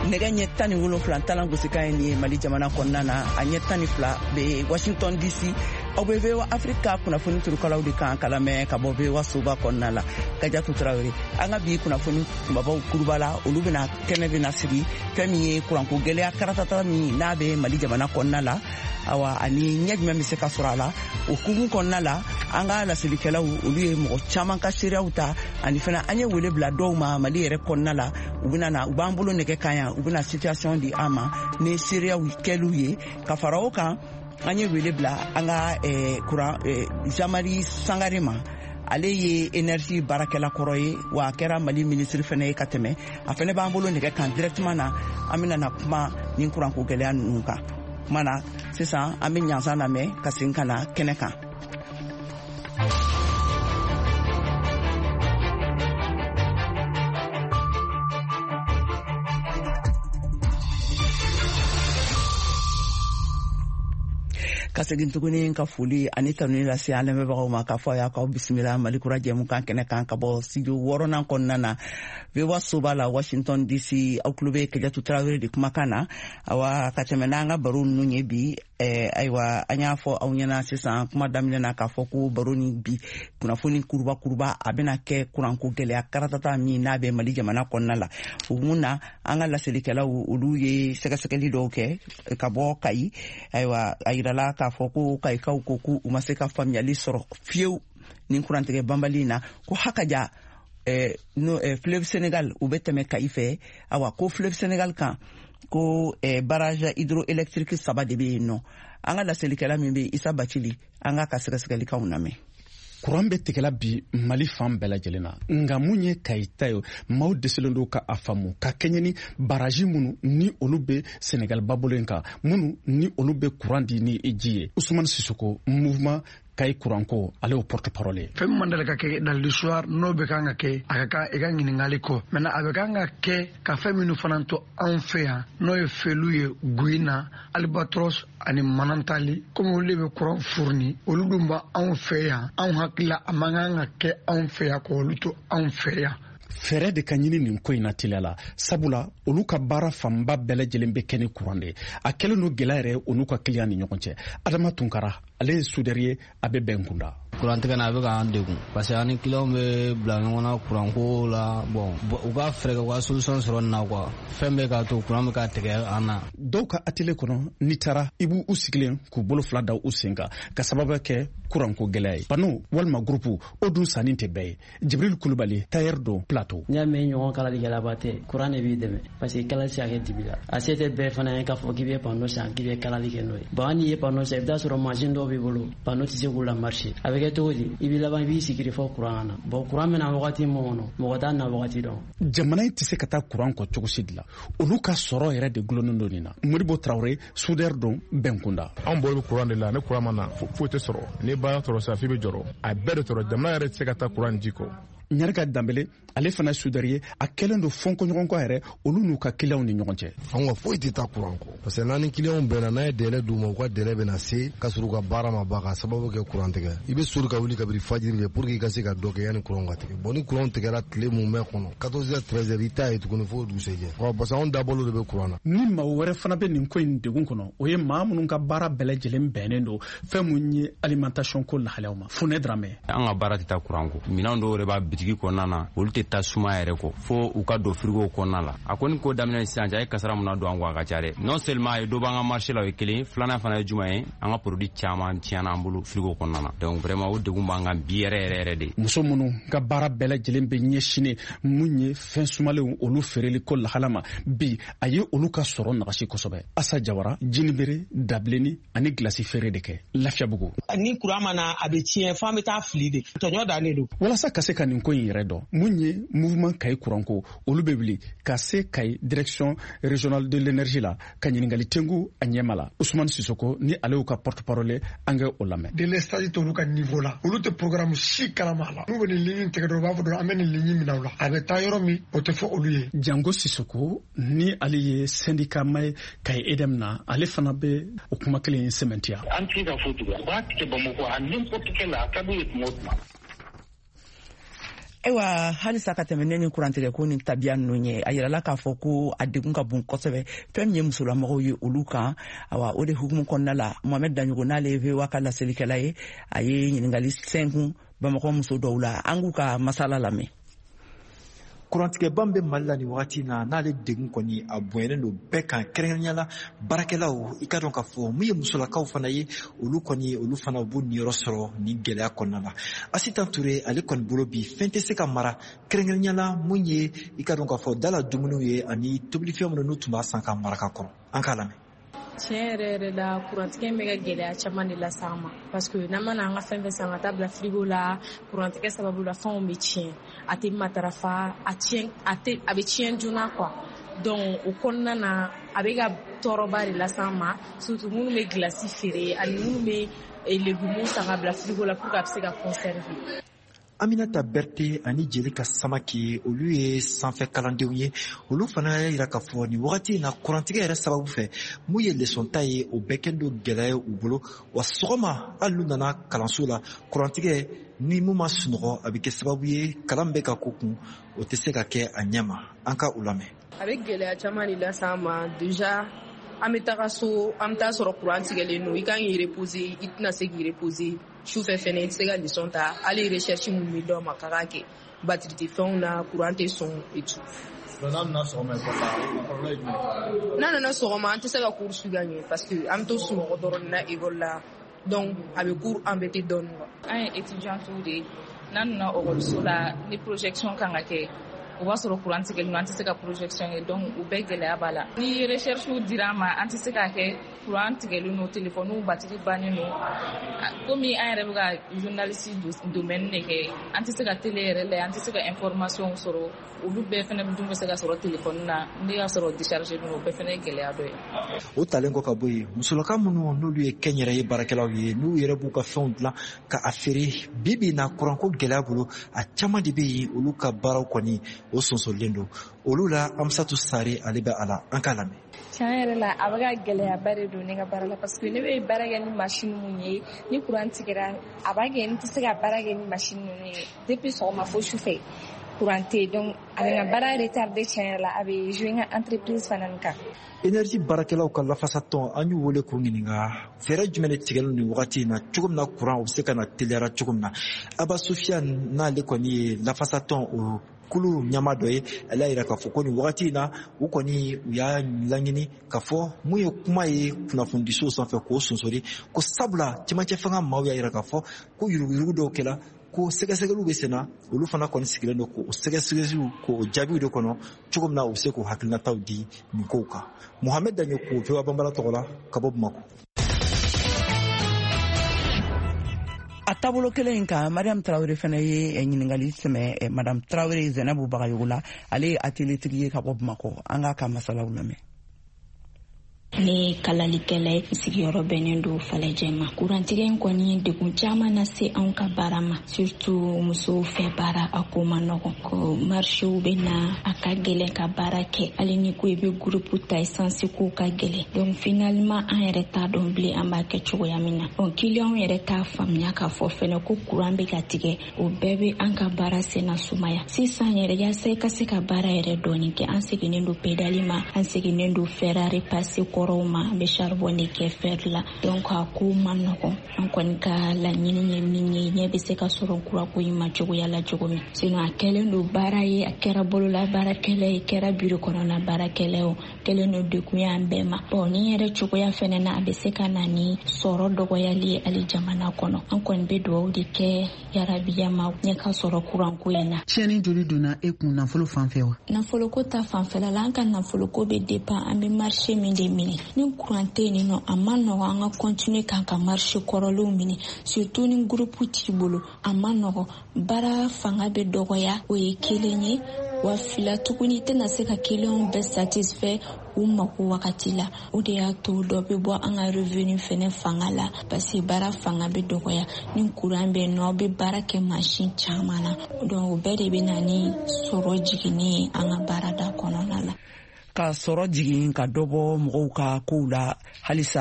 Nɛgɛ ɲɛ 17 talan gosikan ye nin ye Mali jamana kɔnɔna na, a ɲɛ 12 bɛ Washington DC. Aw bɛ VOA Afrique kunnafoni turukalaw de kan ka lamɛn ka bɔ VOA soba kɔnɔna la. Kajatu Tarawele, an ka bi kunnafoni kunbabaw kuruba la, olu bɛna kɛnɛ bɛna sigi fɛn min ye kuranko gɛlɛya karatata min n'a bɛ Mali jamana kɔnɔna la, awa ani ɲɛ jumɛn bɛ se ka sɔrɔ a la. O hukumu kɔnɔna la, an ka laselikɛlaw olu ye mɔgɔ caman ka seereyaw ta, ani fana an ye wele bila dɔw ma Mali yɛrɛ kɔnɔna la. U bɛna na, u b'an bolo nɛgɛ kan yan, u bɛna situation di an ma ni seereyaw kɛliw ye. Ka fara o kan, an ye wele bila an ka kuran Jean-Marie Sangare ma. Ale ye énergie baarakɛla kɔrɔ ye, wa a kɛra Mali ministre fana ye ka tɛmɛ. A fana b'an bolo nɛgɛ kan directement na, an bɛna na kuma nin kuranko gɛlɛya ninnu kan. Kuma na sisan, an bɛ ɲansan lamɛn ka segin ka na kɛnɛ kan. Ka segin tuguni ka foli ani tanuni lase an lamɛnbagaw ma k'a fɔ a y'a k'aw bisimila Mali kura jɛmukan kɛnɛ kan ka bɔ studio 6nan kɔnɔna na, VOA soba la, Washington DC. Aw tulo bɛ Kajatu Tarawele de kumakan na. Awa, ka tɛmɛ n'an ka baro ninnu ye bi, ayiwa, an y'a fɔ aw ɲɛna sisan kuma daminɛ na k'a fɔ ko baro ni bi kunnafoni kuruba kuruba a bɛna kɛ kuranko gɛlɛya karatata min n'a bɛ Mali jamana kɔnɔna la. O mun na, an ka laselikɛlaw olu ye sɛgɛsɛgɛli dɔw kɛ ka bɔ Kayi. Ayiwa, a yirala k'a fɔ ko Kayikaw ko k'u ma se ka faamuyali sɔrɔ fiyewu nin kurantigɛ banbali in na, ko hakaja no, fleuve Sénégal u bɛ tɛmɛ Kayi fɛ. Awa, ko fleuve Sénégal kan, ko barrage hydroélectrique 3 de bɛ yen nɔ. An ka laselikɛla min bɛ Isa Bacili, an k'a ka sɛgɛsɛgɛlikaw lamɛn. Kuran bɛ tigɛla bi Mali fan bɛɛ lajɛlen na, nka mun ye Kayi ta ye, maaw dɛsɛlen don ka a faamu ka kɛɲɛ ni baraji minnu ni olu bɛ Senegal babolo in kan, minnu ni olu bɛ kuran di ni ji ye. Usumani Sisoko, mouvement Kayi kuranko, ale y'o porte parole ye. Fɛn min man deli ka kɛ dans l'histoire, n'o bɛ kan ka kɛ, a ka kan i ka ɲininkali kɔ. Maintenant, a bɛ kan ka kɛ ka fɛn minnu fana to anw fɛ yan, n'o ye Felu ye, Guyina, Albatros ani Manantali, komi olu de bɛ kuran fourni, olu dun b'anw fɛ yan. Anw hakili la, a man kan ka kɛ anw fɛ yan k'olu to anw fɛ yan. Fɛɛrɛ de ka ɲini nin ko in na teliya la, sabula olu ka baara fanba bɛɛ lajɛlen bɛ kɛ ni kuran de ye. A kɛlen don gɛlɛya yɛrɛ o n'u ka kiliyan ni ɲɔgɔn cɛ. Adama Tunkara, ale ye soudeur ye, a bɛ bɛn kunda. Kurantigɛ na, a bɛ k'an degun parce que an ni kiliyanw bɛ bila ɲɔgɔn na kuranko la. Bon, u ka fɛɛrɛ kɛ, u ka solution sɔrɔ nin na quoi. Fɛn bɛ k'a to kuran bɛ ka tigɛ an na. Dɔw ka atelier kɔnɔ, n'i taara, i b'u sigilen k'u bolo fila da u sen kan ka sababu kɛ kuranko gɛlɛya ye. Panneau walima groupe o dun sanni tɛ bɛɛ ye. Jibril Kulubali, tailleur don Plateau. N'i y'a mɛn ɲɔgɔn kalalikɛlaba tɛ, kuran de b'i dɛmɛ parce que kalali tɛ se ka kɛ dibi la. A se tɛ bɛɛ fana ye k'a fɔ k'i bɛ panneau san k'i bɛ kalali kɛ n'o ye. Bon, hali n'i ye panneau san, i bɛ taa sɔrɔ mansin dɔw b'i bolo, panneau tɛ se k'u la marcher. A bɛ kɛ cogo di? I b'i laban i b'i sigi de fɔ kuran ka na. Bon, kuran bɛ na wagati min kɔnɔ, mɔgɔ t'a na wagati dɔn. Jamana in tɛ se ka taa kuran kɔ cogo si de la, olu ka sɔrɔ yɛrɛ de gulonnen don nin na. Modibo Tarawele, soudeur don Bɛnkunda. Anw bolo bɛ kuran de la, ni kuran ma na, foyi tɛ sɔrɔ. Ni baara tɔrɔ sa, f'i bɛ jɔrɔ, a bɛɛ de tɔrɔ. Jamana yɛrɛ tɛ se ka taa kuran ji kɔ. Ɲarika Danbele, ale fana soudeur ye, a kɛlen don fɔnkɔɲɔgɔnkɔ yɛrɛ olu n'u ka kiliyanw ni ɲɔgɔn cɛ. Anw ka foyi tɛ taa kuran kɔ parce que n'an ni kiliyanw bɛnna, n'a ye délai d'u ma, u ka délai bɛna se ka sɔrɔ u ka baara ma ban ka sababu kɛ kuran tigɛ. I bɛ sori ka wuli kabini fajiri de pour que i ka se ka dɔ kɛ yanni kuran ka tigɛ. Bon, ni kuran tigɛra tile mun bɛ kɔnɔ, 14 heures, 13 heures, i t'a ye tuguni fo dugusɛjɛ, parce que anw dabolo de bɛ kuran na. Ni maa wɛrɛ fana bɛ nin ko in degun kɔnɔ, o ye maa minnu ka baara bɛɛ lajɛlen bɛnnen don fɛn mun ye alimentation ko lahalayaw ma. Funɛ Dramɛ. An ka baara tɛ taa kuran kɔ. Minɛn dɔw yɛrɛ b'a bitigi kɔnɔna na, olu tɛ taa suma yɛrɛ kɔ fo u ka don frigo kɔnɔna la. A kɔni ko daminɛ sisan cɛ, a ye kasara mun na don an kɔ, a ka ca dɛ. Non seulement a ye dɔ b'an ka marché la, o ye kelen. Filanan fana ye jumɛn ye? An ka produit caman tiɲɛna an bolo frigo kɔnɔna na. Donc vraiment, o degun b'an kan bi yɛrɛ yɛrɛ yɛrɛ de. Muso minnu ka baara bɛɛ lajɛlen bɛ ɲɛsinnen mun ye fɛn sumalenw olu feereli ko lahala ma bi, a ye olu ka sɔrɔ nagasi kosɛbɛ. Asa Jawara, jinibere, dabilenni ani gilasi feere de kɛ Lafiyabugu. Ni kuran ma na, a bɛ tiɲɛ, f'an bɛ taa fili de, tɔɲɔ dannen don. Walasa ka se ka nin ko in yɛrɛ dɔn, mun ye mouvement Kayi kuranko, olu bɛ wuli ka se Kayi direction régionale de l'énergie la ka ɲininkali tengu a ɲɛma la. Usumani Sisoko ni ale y'u ka porte parole, an kɛ o lamɛn. Délestage t'olu ka niveau la, olu tɛ programme si kalama la. N'u bɛ nin ligne tigɛ dɔrɔn, u b'a fɔ dɔrɔn an bɛ nin ligne minɛ u la, a bɛ taa yɔrɔ min, o tɛ fɔ olu ye. Jango Sisoko ni ale ye syndicat ma ye Kayi EDM na, ale fana bɛ o kuma kelen in sɛmɛntiya. An tɛ se ka fɔ tugun, u b'a tigɛ Bamakɔ à n'importe quelle, a ka d'u ye tuma o tuma. Ayiwa, halisa ka tɛmɛ ne ni kurantigɛko ni tabiya ninnu ye, a yirala k'a fɔ ko a degun ka bon kosɛbɛ fɛn min ye musolamɔgɔw ye olu kan. Awa, o de hukumu kɔnɔna la, Mohamɛd Daɲogo, n'ale ye VOA ka laselikɛla ye, a ye ɲininkali sɛnkun Bamakɔ muso dɔw la. An k'u ka masala lamɛn. Kurantigɛba bɛ Mali la nin wagati na, n'ale degun kɔni a bonyalen don bɛɛ kan, kɛrɛnkɛrɛnnenya la baarakɛlaw. I ka dɔn k'a fɔ mun ye musolakaw fana ye, olu kɔni, olu fana u b'u niyɔrɔ sɔrɔ nin gɛlɛya kɔnɔna la. Asitan Ture, ale kɔni bolo bi, fɛn tɛ se ka mara, kɛrɛnkɛrɛnnenya la mun ye i ka dɔn k'a fɔ da la dumuniw ye ani tobilifɛn minnu n'u tun b'a san ka mara ka kɔrɔ. An k'a lamɛn. Tiɲɛ yɛrɛ yɛrɛ la, kurantigɛ bɛ ka gɛlɛya caman de lase an ma, parce que n'an mana an ka fɛn fɛn san ka taa bila frigo la, kurantigɛ sababu la, fɛnw bɛ tiɲɛ, a tɛ matarafa, a tiɲɛ, a tɛ, a bɛ tiɲɛ joona quoi. Donc o kɔnɔna na, a bɛ ka tɔɔrɔba de lase an ma, surtout minnu bɛ glace feere ani minnu bɛ légumes san ka bila frigo la pour que a bɛ se ka conserver. Aminata Berte ani Jelika Samake, olu ye sanfɛ kalandenw ye. Olu fana y'a yira k'a fɔ nin wagati in na, kurantigɛ yɛrɛ sababu fɛ, mun ye leçon ta ye, o bɛɛ kɛlen don gɛlɛya ye u bolo. Wa sɔgɔma, hali n'u nana kalanso la, kurantigɛ ni mun ma sunɔgɔ, a bɛ kɛ sababu ye kalan bɛ ka ko kun, o tɛ se ka kɛ a ɲɛ ma. An ka u lamɛn. A bɛ gɛlɛya caman de lase an ma. Déjà, an bɛ taga so, an bɛ taa sɔrɔ kuran tigɛlen don. I kan k'i reposer, i tɛna se k'i reposer. Sufɛ fɛnɛ, i tɛ se ka leçon ta. Hali recherche minnu bɛ d'aw ma k'a k'a kɛ, batterie tɛ fɛnw na, kuran tɛ sɔn et tout. N'a nana sɔgɔma ekɔli la, a kɔlɔlɔ ye jumɛn ye? N'a nana sɔgɔma, an tɛ se ka cours suivre ka ɲɛ, parce que an bɛ to sunɔgɔ dɔrɔn de na ekɔli la. Donc a bɛ cours embêter dɔɔnin quoi. An ye étudiantes de ye. N'an nana ekɔliso la, ni projection kan ka kɛ, o b'a sɔrɔ kuran tigɛlen don, an tɛ se ka projection kɛ. Donc o bɛɛ gɛlɛya b'a la. Ni recherche dira an ma, an tɛ se k'a kɛ, kuran tigɛlen don, téléphone batterie bannen don. Komi an yɛrɛ bɛ ka journaliste domaine de kɛ, an tɛ se ka télé yɛrɛ lajɛ, an tɛ se ka information sɔrɔ. Olu bɛɛ fɛnɛ dun bɛ se ka sɔrɔ téléphone na, ne y'a sɔrɔ déchargé don, o bɛɛ fɛnɛ ye gɛlɛya dɔ ye. O talen kɔ ka bɔ yen, musolaka minnu n'olu ye kɛnyɛrɛye baarakɛlaw ye, n'u yɛrɛ b'u ka fɛnw dilan ka a feere, bi bi in na, kuranko gɛlɛya bolo, a caman de bɛ yen, olu ka baaraw kɔni o sonsorilen don olu la. Amusatu Sare, ale bɛ a la, an k'a lamɛn. Tiɲɛ yɛrɛ la, a bɛ ka gɛlɛyaba de don ne ka baara la, parce que ne bɛ baara kɛ ni machine mun ye, ni kuran tigɛra, a b'a kɛ n tɛ se ka baara kɛ ni machine ninnu ye. Depuis sɔgɔma fo sufɛ, kuran tɛ yen. Donc a bɛ n ka baara retardé. Tiɲɛ yɛrɛ la, a bɛ jouer n ka entreprise fana kan. Énergie baarakɛlaw ka lafasatɔn, an y'u wele k'u ɲininka fɛɛrɛ jumɛn de tigɛlen nin wagati in na, cogo min na kuran o bɛ se ka na teliyara cogo min na. Aba Sofiane, n'ale kɔni ye lafasatɔn o kulu ɲama dɔ ye, ale y'a yira k'a fɔ ko nin wagati in na, u kɔni u y'a laɲini k'a fɔ mun ye kuma ye kunnafonidisow sanfɛ k'o sonsori, ko sabula cɛmancɛ fanga maaw y'a yira k'a fɔ ko yuruguyurugu dɔw kɛla, ko sɛgɛsɛgɛliw bɛ sen na. Olu fana kɔni sigilen don k'o sɛgɛsɛgɛliw k'o jaabiw de kɔnɔ, cogo min na u bɛ se k'o hakilinataw di nin kow kan. Mohamed Daɲo ko VOA Banbara tɔgɔ la ka bɔ Bamakɔ. A taabolo kelen in kan, Mariam Tarawele fana ye ɲininkali sɛmɛ Madame Tarawele Zɛnɛbu Bagayogo la. Ale ye atelier tigi ye ka bɔ Bamakɔ. An k'a ka masalaw lamɛn. Ne ye kalalikɛla ye, sigiyɔrɔ bɛnnen don Falajɛ ma. Kurantigɛ in kɔni ye degun caman lase anw ka baara ma, surtout musow fɛ baara, a ko ma nɔgɔn, ko marchéw bɛ na, a ka gɛlɛn ka baara kɛ. Hali ni ko i bɛ groupe ta, essence ko ka gɛlɛn. Donc finalement, an yɛrɛ t'a dɔn bilen an b'a kɛ cogoya min na. Bon, clients yɛrɛ t'a faamuya k'a fɔ fɛnɛ ko kuran bɛ ka tigɛ. O bɛɛ bɛ an ka baara senna sumaya sisan yɛrɛ. Yaasa i ka se ka baara yɛrɛ dɔɔni kɛ, an seginnen don pédale ma, an seginnen don fer à repasser kɔrɔw ma, an bɛ charbon de kɛ fer la. Donc a ko ma nɔgɔn. An kɔni ka laɲini ye min ye, ɲɛ bɛ se ka sɔrɔ kuranko in ma cogoya la cogo min. Sinon a kɛlen don baara ye, a kɛra bolola baarakɛla ye, kɛra biro kɔnɔna baarakɛla ye, o kɛlen don degun ye an bɛɛ ma. Bon, ni yɛrɛ cogoya fɛnɛ na, a bɛ se ka na ni sɔrɔ dɔgɔyali ye hali jamana kɔnɔ. An kɔni bɛ dugawu de kɛ, yarabiya ma ɲɛ ka sɔrɔ kuranko in na. Tiɲɛni joli donna e kun nafolo fan fɛ wa? Nafoloko ta fanfɛla la, an ka nafoloko bɛ dépend an bɛ marché min de minɛ. Ni kuran tɛ yen nɔ, a ma nɔgɔn an ka continuer k'an ka marché kɔrɔlenw minɛ, surtout ni groupe t'i bolo, a ma nɔgɔn, baara fanga bɛ dɔgɔya. O ye kelen ye. Wa fila tuguni, i tɛna se ka clients bɛɛ satisfait u mako wagati la. O de y'a to dɔ bɛ bɔ an ka revenu fɛnɛ fanga la, parce que baara fanga bɛ dɔgɔya. Ni kuran bɛ yen nɔ, aw bɛ baara kɛ machine caman na. Donc o bɛɛ de bɛ na ni sɔrɔ jiginni ye an ka baarada kɔnɔna la. Ka sɔrɔ jigin, ka dɔ bɔ mɔgɔw ka kow la halisa.